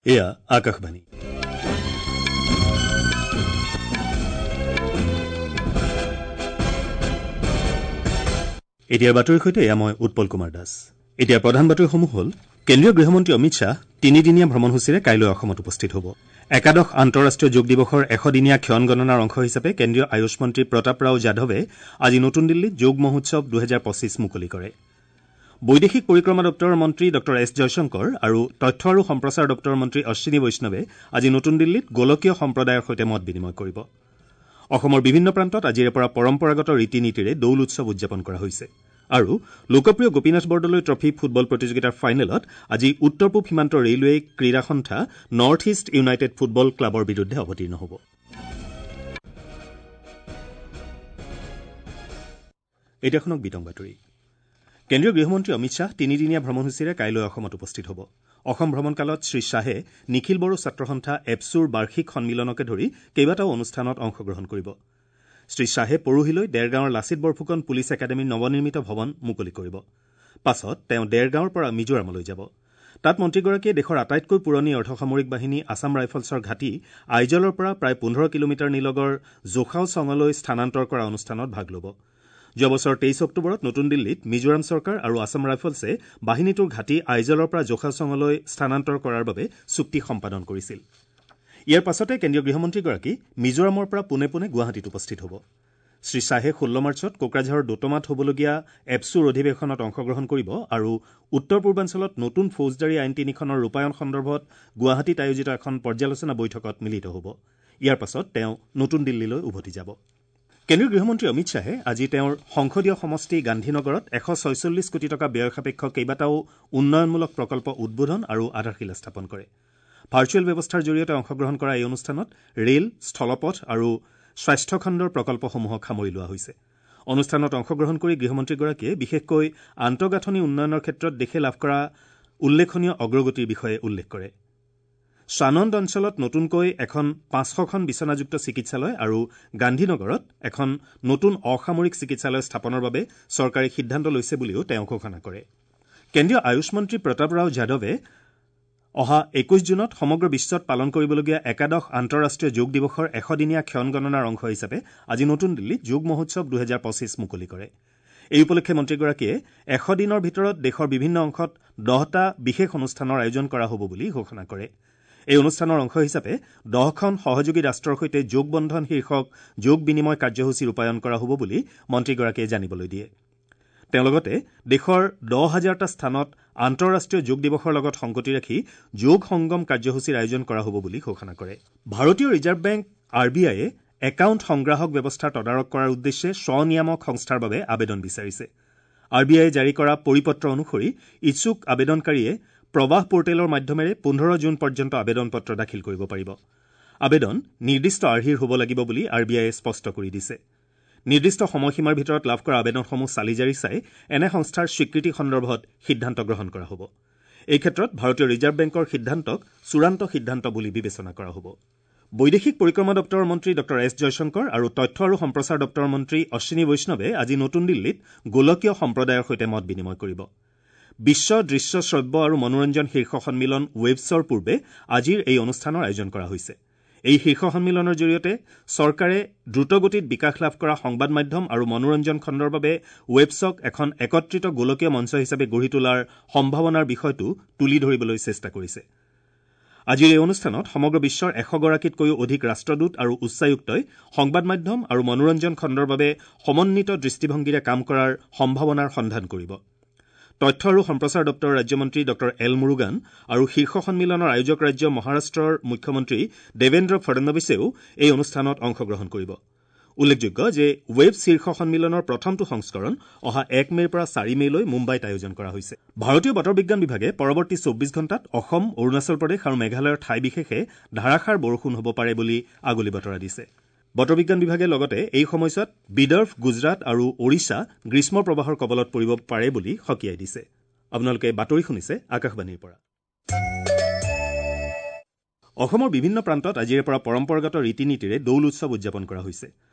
এয়া আকাশবাণী। এতিয়াৰ বাতৰিৰ সৈতে এয়া মই উৎপল কুমাৰ দাস। এতিয়া প্ৰধান বাতৰিসমূহ হ'ল: কেন্দ্ৰীয় গৃহমন্ত্ৰী অমিত শ্বাহ তিনিদিনীয়া ভ্ৰমণসূচীৰে কাইলৈ অসমত উপস্থিত হ'ব। একাদশ আন্তঃৰাষ্ট্ৰীয় যোগ দিৱসৰ ১০০দিনীয়া ক্ষণ গণনাৰ অংশ হিচাপে কেন্দ্ৰীয় আয়ুষ মন্ত্ৰী প্ৰতাপ ৰাও যাদৱে আজি নতুন দিল্লীত যোগ মহোৎসৱ ২০২৫ মুকলি কৰে। বৈদেশিক পৰিক্ৰমা দপ্তৰৰ মন্ত্ৰী ডঃ এছ জয়শংকৰ আৰু তথ্য আৰু সম্প্ৰচাৰ দপ্তৰৰ মন্ত্ৰী অশ্বিনী বৈষ্ণৱে আজি নতুন দিল্লীত গোলকীয় সম্প্ৰদায়ৰ সৈতে মত বিনিময় কৰিব। অসমৰ বিভিন্ন প্ৰান্তত আজিৰে পৰা পৰম্পৰাগত ৰীতি নীতিৰে দৌল উৎসৱ উদযাপন কৰা হৈছে। আৰু লোকপ্ৰিয় গোপীনাথ বৰদলৈ ট্ৰফী ফুটবল প্ৰতিযোগিতাৰ ফাইনেলত আজি উত্তৰ পূব সীমান্ত ৰেলৱে ক্ৰীড়া সন্থা নৰ্থ ইষ্ট ইউনাইটেড ফুটবল ক্লাবৰ বিৰুদ্ধে অৱতীৰ্ণ হ'ব। এতিয়া শুনক বিতং বাতৰি। কেন্দ্ৰীয় গৃহমন্ত্ৰী অমিত শ্বাহ তিনিদিনীয়া ভ্ৰমণসূচীৰে কাইলৈ অসমত উপস্থিত হ'ব। অসম ভ্ৰমণকালত শ্ৰীশ্বাহে নিখিল বড়ো ছাত্ৰ সন্থা এপছুৰ বাৰ্ষিক সন্মিলনকে ধৰি কেইবাটাও অনুষ্ঠানত অংশগ্ৰহণ কৰিব। শ্ৰীশ্বাহে পৰহিলৈ দেৰগাঁৱৰ লাচিত বৰফুকন পুলিচ একাডেমীৰ নৱনিৰ্মিত ভৱন মুকলি কৰিব। পাছত তেওঁ দেৰগাঁৱৰ পৰা মিজোৰামলৈ যাব। তাত মন্ত্ৰীগৰাকীয়ে দেশৰ আটাইতকৈ পুৰণি অৰ্ধসামৰিক বাহিনী আছাম ৰাইফলছৰ ঘাটি আইজলৰ পৰা প্ৰায় ১৫ কিলোমিটাৰ নিলগৰ জোখাওচঙলৈ স্থানান্তৰ কৰা অনুষ্ঠানত ভাগ ল'ব। যোৱা বছৰ ২৩ অক্টোবৰত নতুন দিল্লীত মিজোৰাম চৰকাৰ আৰু আছাম ৰাইফলছে বাহিনীটোৰ ঘাটি আইজলৰ পৰা জোখাওচঙলৈ স্থানান্তৰ কৰাৰ বাবে চুক্তি সম্পাদন কৰিছিল। ইয়াৰ পাছতে কেন্দ্ৰীয় গৃহমন্ত্ৰীগৰাকী মিজোৰামৰ পৰা পোনে পোনে গুৱাহাটীত উপস্থিত হ'ব। শ্ৰীশ্বাহে ১৬ মাৰ্চত কোকৰাঝাৰৰ দোতমাত হ'বলগীয়া এপছুৰ অধিৱেশনত অংশগ্ৰহণ কৰিব আৰু উত্তৰ পূৰ্বাঞ্চলত নতুন ফৌজদাৰী আইন তিনিখনৰ ৰূপায়ণ সন্দৰ্ভত গুৱাহাটীত আয়োজিত এখন পৰ্যালোচনা বৈঠকত মিলিত হ'ব। ইয়াৰ পাছত তেওঁ নতুন দিল্লীলৈ উভতি যাব। কেন্দ্ৰীয় গৃহমন্ত্ৰী অমিত শ্বাহে আজি তেওঁৰ সংসদীয় সমষ্টি গান্ধীনগৰত ১৪৬ কোটি টকা ব্যয় সাপেক্ষ কেইবাটাও উন্নয়নমূলক প্ৰকল্প উদ্বোধন আৰু আধাৰশিলা স্থাপন কৰে। ভাৰ্চুৱেল ব্যৱস্থাৰ জৰিয়তে অংশগ্ৰহণ কৰা এই অনুষ্ঠানত ৰেল, স্থলপথ আৰু স্বাস্থ্যখণ্ডৰ প্ৰকল্পসমূহক সামৰি লোৱা হৈছে। অনুষ্ঠানত অংশগ্ৰহণ কৰি গৃহমন্ত্ৰীগৰাকীয়ে বিশেষকৈ আন্তঃগাঁথনি উন্নয়নৰ ক্ষেত্ৰত দেশে লাভ কৰা উল্লেখনীয় অগ্ৰগতিৰ বিষয়ে উল্লেখ কৰে। সানন্দ অঞ্চলত নতুনকৈ এখন ৫০০খন বিচনাযুক্ত চিকিৎসালয় আৰু গান্ধীনগৰত এখন নতুন অসামৰিক চিকিৎসালয় স্থাপনৰ বাবে চৰকাৰে সিদ্ধান্ত লৈছে বুলিও তেওঁ ঘোষণা কৰে। কেন্দ্ৰীয় আয়ুষ মন্ত্ৰী প্ৰতাপ ৰাও যাদৱে অহা ২১ জুনত সমগ্ৰ বিশ্বত পালন কৰিবলগীয়া একাদশ আন্তঃৰাষ্ট্ৰীয় যোগ দিৱসৰ ১০০দিনীয়া ক্ষণ গণনাৰ অংশ হিচাপে আজি নতুন দিল্লীত যোগ মহোৎসৱ ২০২৫ মুকলি কৰে। এই উপলক্ষে মন্ত্ৰীগৰাকীয়ে ১০০ দিনৰ ভিতৰত দেশৰ বিভিন্ন অংশত ১০টা বিশেষ অনুষ্ঠানৰ আয়োজন কৰা হ'ব বুলি ঘোষণা কৰে। এই অনুষ্ঠানৰ অংশ হিচাপে ১০খন সহযোগী ৰাষ্ট্ৰৰ সৈতে যোগ বন্ধন শীৰ্ষক যোগ বিনিময় কাৰ্যসূচী ৰূপায়ণ কৰা হ'ব বুলি মন্ত্ৰীগৰাকীয়ে জানিবলৈ দিয়ে। তেওঁ লগতে দেশৰ ১০,০০০টা স্থানত আন্তঃৰাষ্ট্ৰীয় যোগ দিৱসৰ লগত সংগতি ৰাখি যোগ সংগম কাৰ্যসূচীৰ আয়োজন কৰা হ'ব বুলি ঘোষণা কৰে। ভাৰতীয় ৰিজাৰ্ভ বেংক আৰ বি আইয়ে একাউণ্ট সংগ্ৰাহক ব্যৱস্থাৰ তদাৰক কৰাৰ উদ্দেশ্যে স্বনিয়ামক সংস্থাৰ বাবে আবেদন বিচাৰিছে। আৰ বি আইয়ে জাৰি কৰা পৰিপত্ৰ অনুসৰি ইচ্ছুক আবেদনকাৰীয়ে প্ৰবাহ পৰ্টেলৰ মাধ্যমেৰে ১৫ জুন পৰ্যন্ত আবেদন পত্ৰ দাখিল কৰিব পাৰিব। আবেদন নিৰ্দিষ্ট আৰ্হিৰ হ'ব লাগিব বুলি আৰ বি আইয়ে স্পষ্ট কৰি দিছে। নিৰ্দিষ্ট সময়সীমাৰ ভিতৰত লাভ কৰা আবেদনসমূহ চালি জাৰি চাই এনে সংস্থাৰ স্বীকৃতি সন্দৰ্ভত সিদ্ধান্ত গ্ৰহণ কৰা হ'ব। এই ক্ষেত্ৰত ভাৰতীয় ৰিজাৰ্ভ বেংকৰ সিদ্ধান্তক চূড়ান্ত সিদ্ধান্ত বুলি বিবেচনা কৰা হ'ব। বৈদেশিক পৰিক্ৰমা দপ্তৰৰ মন্ত্ৰী ডঃ এছ জয়শংকৰ আৰু তথ্য আৰু সম্প্ৰচাৰ দপ্তৰৰ মন্ত্ৰী অশ্বিনী বৈষ্ণৱে আজি নতুন দিল্লীত গোলকীয় সম্প্ৰদায়ৰ সৈতে মত বিনিময় কৰিব। বিশ্ব দৃশ্য শ্ৰব্য আৰু মনোৰঞ্জন শীৰ্ষ সন্মিলন ৱেভছৰ পূৰ্বে আজিৰ এই অনুষ্ঠানৰ আয়োজন কৰা হৈছে। এই শীৰ্ষ সন্মিলনৰ জৰিয়তে চৰকাৰে দ্ৰুতগতিত বিকাশ লাভ কৰা সংবাদ মাধ্যম আৰু মনোৰঞ্জন খণ্ডৰ বাবে ৱেবছক এখন একত্ৰিত গোলকীয় মঞ্চ হিচাপে গঢ়ি তোলাৰ সম্ভাৱনাৰ বিষয়টো তুলি ধৰিবলৈ চেষ্টা কৰিছে। আজিৰ এই অনুষ্ঠানত সমগ্ৰ বিশ্বৰ ১০০গৰাকীতকৈও অধিক ৰাষ্ট্ৰদূত আৰু উচ্চায়ুক্তই সংবাদ মাধ্যম আৰু মনোৰঞ্জন খণ্ডৰ বাবে সমন্বিত দৃষ্টিভংগীৰে কাম কৰাৰ সম্ভাৱনাৰ সন্ধান কৰিব। তথ্য আৰু সম্প্ৰচাৰ দপ্তৰৰ ৰাজ্যমন্ত্ৰী ডঃ এল মুৰুগান আৰু শীৰ্ষ সন্মিলনৰ আয়োজক ৰাজ্য মহাৰাষ্ট্ৰৰ মুখ্যমন্ত্ৰী দেৱেন্দ্ৰ ফডনবিছেও এই অনুষ্ঠানত অংশগ্ৰহণ কৰিব। উল্লেখযোগ্য যে ৱেব শীৰ্ষ সন্মিলনৰ প্ৰথমটো সংস্কৰণ অহা ১ মে'ৰ পৰা ৪ মে'লৈ মুম্বাইত আয়োজন কৰা হৈছে। ভাৰতীয় বতৰ বিজ্ঞান বিভাগে পৰৱৰ্তী ২৪ ঘণ্টাত অসম, অৰুণাচল প্ৰদেশ আৰু মেঘালয়ৰ ঠাই বিশেষে ধাৰাসাৰ বৰষুণ হ'ব পাৰে বুলি আগলি বতৰা দিছে। বতৰ বিজ্ঞান বিভাগে লগতে এই সময়ছোৱাত বিদৰ্ভ, গুজৰাট আৰু ওড়িশা গ্ৰীষ্ম প্ৰবাহৰ কবলত পৰিব পাৰে বুলি সকীয়াই দিছে। আপোনালোকে বাতৰি শুনিছে আকাশবাণীৰ পৰা। অসমৰ বিভিন্ন প্ৰান্তত আজিৰে পৰা পৰম্পৰাগত ৰীতি নীতিৰে দৌল উৎসৱ উদযাপন কৰা হৈছে।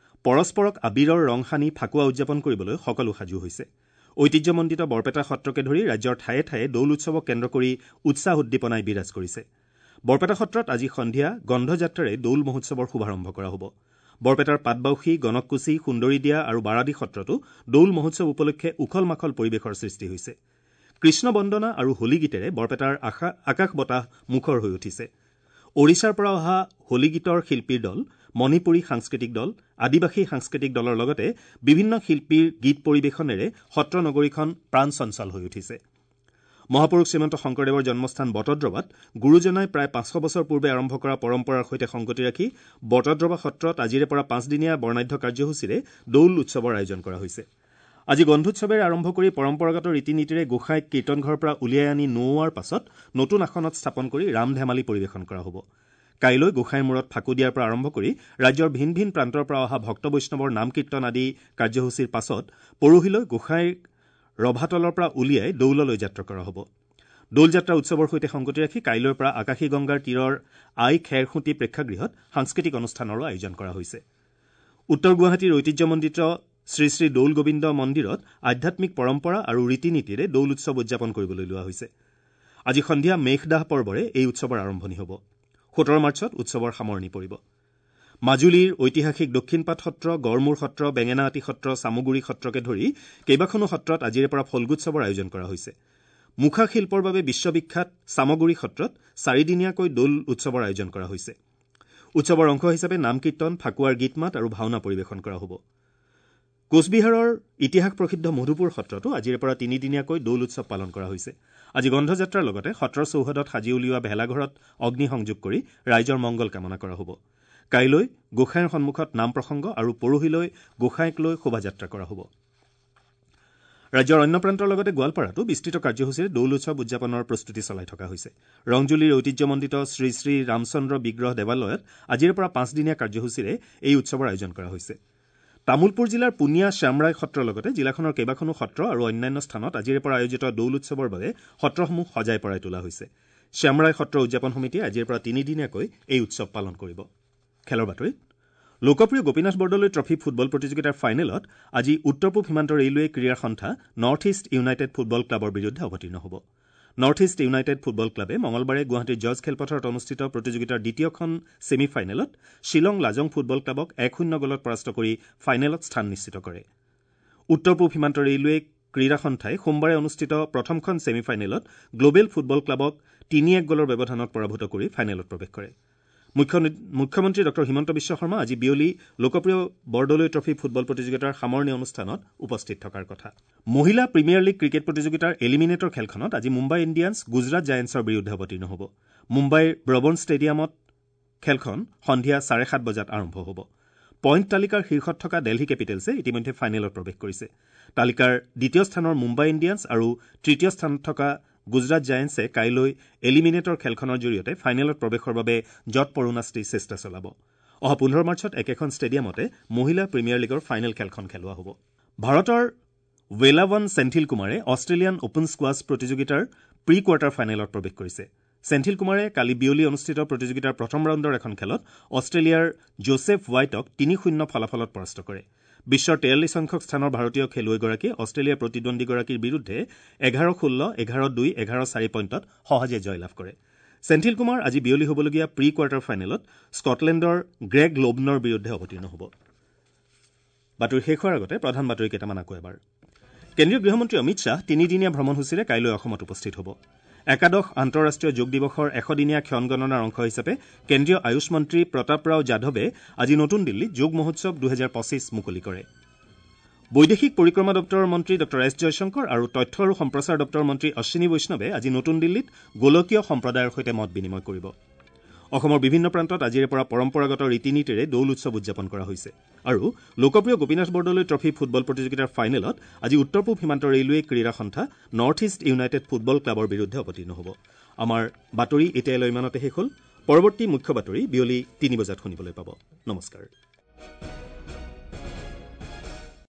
পৰস্পৰক আবিৰৰ ৰং সানি ফাকুৱা উদযাপন কৰিবলৈ সকলো সাজু হৈছে। ঐতিহ্যমণ্ডিত বৰপেটা সত্ৰকে ধৰি ৰাজ্যৰ ঠায়ে ঠায়ে দৌল উৎসৱক কেন্দ্ৰ কৰি উৎসাহ উদ্দীপনাই বিৰাজ কৰিছে। বৰপেটা সত্ৰত আজি সন্ধিয়া গন্ধযাত্ৰাৰে দৌল মহোৎসৱৰ শুভাৰম্ভ কৰা হ'ব। বৰপেটাৰ পাটবাউসী, গণককুছি, সুন্দৰীদিয়া আৰু বাৰাদি সত্ৰতো দৌল মহোৎসৱ উপলক্ষে উখল মাখল পৰিৱেশৰ সৃষ্টি হৈছে। কৃষ্ণ বন্দনা আৰু হোলী গীতেৰে বৰপেটাৰ আকাশ বতাহ মুখৰ হৈ উঠিছে। ওড়িশাৰ পৰা অহা হোলী গীতৰ শিল্পীৰ দল, মণিপুৰী সাংস্কৃতিক দল, আদিবাসী সাংস্কৃতিক দলৰ লগতে বিভিন্ন শিল্পীৰ গীত পৰিৱেশনেৰে সত্ৰ নগৰীখন প্ৰাণ চঞ্চল হৈ উঠিছে। মহাপুৰুষ শ্ৰীমন্ত শংকৰদেৱৰ জন্মস্থান বটদ্ৰৱাত গুৰুজনাই প্ৰায় 500 বছৰ পূৰ্বে আৰম্ভ কৰা পৰম্পৰাৰ সৈতে সংগতি ৰাখি বটদ্ৰৱা সত্ৰত আজিৰে পৰা 5দিনীয়া বৰ্ণাঢ্য কাৰ্যসূচীৰে দৌল উৎসৱৰ আয়োজন কৰা হৈছে। আজি গন্ধোৎসৱেৰে আৰম্ভ কৰি পৰম্পৰাগত ৰীতি নীতিৰে গোসাঁইক কীৰ্তনঘৰৰ পৰা উলিয়াই আনি নোওৱাৰ পাছত নতুন আসনত স্থাপন কৰি ৰাম ধেমালি পৰিৱেশন কৰা হ'ব। কাইলৈ গোসাঁইৰ মূৰত ফাকু দিয়াৰ পৰা আৰম্ভ কৰি ৰাজ্যৰ ভিন ভিন প্ৰান্তৰ পৰা অহা ভক্ত বৈষ্ণৱৰ নাম কীৰ্তন আদি কাৰ্যসূচীৰ পাছত পৰহিলৈ গোসাঁইৰ ৰভাতলৰ পৰা উলিয়াই দৌললৈ যাত্ৰা কৰা হ'ব। দৌল যাত্ৰা উৎসৱৰ সৈতে সংগতি ৰাখি কাইলৈৰ পৰা আকাশী গংগাৰ তীৰৰ আই খেৰখুঁটি প্ৰেক্ষাগৃহত সাংস্কৃতিক অনুষ্ঠানৰো আয়োজন কৰা হৈছে। উত্তৰ গুৱাহাটীৰ ঐতিহ্যমণ্ডিত শ্ৰী শ্ৰী দৌল গোবিন্দ মন্দিৰত আধ্যাত্মিক পৰম্পৰা আৰু ৰীতি নীতিৰে দৌল উৎসৱ উদযাপন কৰিবলৈ লোৱা হৈছে। আজি সন্ধিয়া মেঘদাহ পৰ্বৰে এই উৎসৱৰ আৰম্ভণি হ'ব। 17 মাৰ্চত উৎসৱৰ সামৰণি পৰিব। মাজুলীৰ ঐতিহাসিক দক্ষিণপাট সত্ৰ, গড়মূৰ সত্ৰ, বেঙেনাআটী সত্ৰ, চামগুৰি সত্ৰকে ধৰি কেইবাখনো সত্ৰত আজিৰে পৰা ফল্গুৎসৱৰ আয়োজন কৰা হৈছে। মুখা শিল্পৰ বাবে বিশ্ববিখ্যাত চামগুৰি সত্ৰত 4দিনীয়াকৈ দৌল উৎসৱৰ আয়োজন কৰা হৈছে। উৎসৱৰ অংশ হিচাপে নাম কীৰ্তন, ফাকুৱাৰ গীত মাত আৰু ভাওনা পৰিৱেশন কৰা হ'ব। কোচবিহাৰৰ ইতিহাস প্ৰসিদ্ধ মধুপুৰ সত্ৰতো আজিৰে পৰা 3দিনীয়াকৈ দৌল উৎসৱ পালন কৰা হৈছে। আজি গন্ধযাত্ৰাৰ লগতে সত্ৰৰ চৌহদত সাজি উলিওৱা ভেলাঘৰত অগ্নি সংযোগ কৰি ৰাইজৰ মংগল কামনা কৰা হ'ব। কাইলৈ গোসাঁইৰ সন্মুখত নাম প্ৰসংগ আৰু পৰহিলৈ গোসাঁইক লৈ শোভাযাত্ৰা কৰা হ'ব। ৰাজ্যৰ অন্য প্ৰান্তৰ লগতে গোৱালপাৰাতো বিস্তৃত কাৰ্যসূচীৰে দৌল উৎসৱ উদযাপনৰ প্ৰস্তুতি চলাই থকা হৈছে। ৰংজুলিৰ ঐতিহ্যমণ্ডিত শ্ৰী শ্ৰী ৰামচন্দ্ৰ বিগ্ৰহ দেৱালয়ত আজিৰে পৰা 5দিনীয়া কাৰ্যসূচীৰে এই উৎসৱৰ আয়োজন কৰা হৈছে। তামুলপুৰ জিলাৰ পুনিয়া শ্যামৰায় সত্ৰৰ লগতে জিলাখনৰ কেইবাখনো সত্ৰ আৰু অন্যান্য স্থানত আজিৰে পৰা আয়োজিত দৌল উৎসৱৰ বাবে সত্ৰসমূহ সজাই পৰাই তোলা হৈছে। শ্যামৰায় সত্ৰ উদযাপন সমিতিয়ে আজিৰ পৰা 3দিনীয়াকৈ এই উৎসৱ পালন কৰিব। খেলৰ বাতৰিত লোকপ্ৰিয় গোপীনাথ বৰদলৈ ট্ৰফী ফুটবল প্ৰতিযোগিতাৰ ফাইনেলত আজি উত্তৰ পূব সীমান্ত ৰেলৱে ক্ৰীড়া সন্থা নৰ্থ ইষ্ট ইউনাইটেড ফুটবল ক্লাবৰ বিৰুদ্ধে অৱতীৰ্ণ হ'ব। নৰ্থ ইষ্ট ইউনাইটেড ফুটবল ক্লাবে মঙলবাৰে গুৱাহাটীৰ জজ খেলপথাৰত অনুষ্ঠিত প্ৰতিযোগিতাৰ দ্বিতীয়খন ছেমি ফাইনেলত শ্বিলং লাজং ফুটবল ক্লাবক 1-0 গ'লত পৰাস্ত কৰি ফাইনেলত স্থান নিশ্চিত কৰে। উত্তৰ পূব সীমান্ত ৰেলৱে ক্ৰীড়া সন্থাই সোমবাৰে অনুষ্ঠিত প্ৰথমখন ছেমি ফাইনেলত গ্ল'বেল ফুটবল ক্লাবক 3-1 গ'লৰ ব্যৱধানত পৰাভূত কৰি ফাইনেলত প্ৰৱেশ কৰে। মুখ্যমন্ত্ৰী ডঃ হিমন্ত বিশ্ব শৰ্মা আজি বিয়লি লোকপ্ৰিয় বৰদলৈ ট্ৰফী ফুটবল প্ৰতিযোগিতাৰ সামৰণি অনুষ্ঠানত উপস্থিত থকাৰ কথা। মহিলা প্ৰিমিয়াৰ লীগ ক্ৰিকেট প্ৰতিযোগিতাৰ এলিমিনেটৰ খেলখনত আজি মুম্বাই ইণ্ডিয়ানছ গুজৰাট জায়েণ্টছৰ বিৰুদ্ধে অৱতীৰ্ণ হ'ব। মুম্বাইৰ ব্ৰবন ষ্টেডিয়ামত খেলখন সন্ধিয়া 7:30 বজাত আৰম্ভ হ'ব। পইণ্ট তালিকাৰ শীৰ্ষত থকা দেলহি কেপিটেলছে ইতিমধ্যে ফাইনেলত প্ৰৱেশ কৰিছে। তালিকাৰ দ্বিতীয় স্থানৰ মুম্বাই ইণ্ডিয়ানছ আৰু তৃতীয় স্থানত থকা গুজৰাট জায়েণ্টছে কাইলৈ এলিমিনেটৰ খেলখনৰ জৰিয়তে ফাইনেলত প্ৰৱেশৰ বাবে যৎপৰোনাস্তি চেষ্টা চলাব। অহা 15 মাৰ্চত একেখন ষ্টেডিয়ামতে মহিলা প্ৰিমিয়াৰ লীগৰ ফাইনেল খেলখন খেলোৱা হ'ব। ভাৰতৰ ৱেলাৱন চেন্থিল কুমাৰে অষ্ট্ৰেলিয়ান অপেন স্কোৱাছ প্ৰতিযোগিতাৰ প্ৰি কোৱাৰ্টাৰ ফাইনেলত প্ৰৱেশ কৰিছে। চেন্থিল কুমাৰে কালি বিয়লি অনুষ্ঠিত প্ৰতিযোগিতাৰ প্ৰথম ৰাউণ্ডৰ এখন খেলত অষ্ট্ৰেলিয়াৰ জোচেফ হোৱাইটক 3-0 ফলাফলত পৰাস্ত কৰে। বিশ্বৰ 43 সংখ্যক স্থানৰ ভাৰতীয় খেলুৱৈগৰাকীয়ে অষ্ট্ৰেলিয়াৰ প্ৰতিদ্বন্দ্বীগৰাকীৰ বিৰুদ্ধে 11-16, 11-2, 11-4 পইণ্টত সহজে জয়লাভ কৰে। চেন্থিল কুমাৰ আজি বিয়লি হ'বলগীয়া প্ৰি কোৱাৰ্টাৰ ফাইনেলত স্কটলেণ্ডৰ গ্ৰেগ লোবনৰ বিৰুদ্ধে অৱতীৰ্ণ হ'ব। বাতৰি শেষ হোৱাৰ আগতে প্ৰধান বাতৰি কেইটামান আকৌ এবাৰ। কেন্দ্ৰীয় গৃহমন্ত্ৰী অমিত শ্বাহ 3দিনীয়া ভ্ৰমণসূচীৰে কাইলৈ অসমত উপস্থিত হ'ব। একাদশ আন্তঃৰাষ্ট্ৰীয় যোগ দিৱসৰ 100দিনীয়া ক্ষণগণনাৰ অংশ হিচাপে কেন্দ্ৰীয় আয়ুষ মন্ত্ৰী প্ৰতাপ ৰাও যাদৱে আজি নতুন দিল্লীত যোগ মহোৎসৱ 2025 মুকলি কৰে। বৈদেশিক পৰিক্ৰমা দপ্তৰৰ মন্ত্ৰী ডঃ এছ জয়শংকৰ আৰু তথ্য আৰু সম্প্ৰচাৰ দপ্তৰৰ মন্ত্ৰী অশ্বিনী বৈষ্ণৱে আজি নতুন দিল্লীত গোলকীয় সম্প্ৰদায়ৰ সৈতে মত বিনিময় কৰিব। অসমৰ বিভিন্ন প্ৰান্তত আজিৰে পৰা পৰম্পৰাগত ৰীতি নীতিৰে দৌল উৎসৱ উদযাপন কৰা হৈছে। আৰু লোকপ্ৰিয় গোপীনাথ বৰদলৈ ট্ৰফী ফুটবল প্ৰতিযোগিতাৰ ফাইনেলত আজি উত্তৰ পূব সীমান্ত ৰেলৱে ক্ৰীড়া সন্থা নৰ্থ ইষ্ট ইউনাইটেড ফুটবল ক্লাবৰ বিৰুদ্ধে অৱতীৰ্ণ হ'ব। আমাৰ বাতৰি এতিয়ালৈ ইমানতে শেষ হ'ল। পৰৱৰ্তী মুখ্য বাতৰি বিয়লি 3 বজাত শুনিবলৈ পাব। নমস্কাৰ।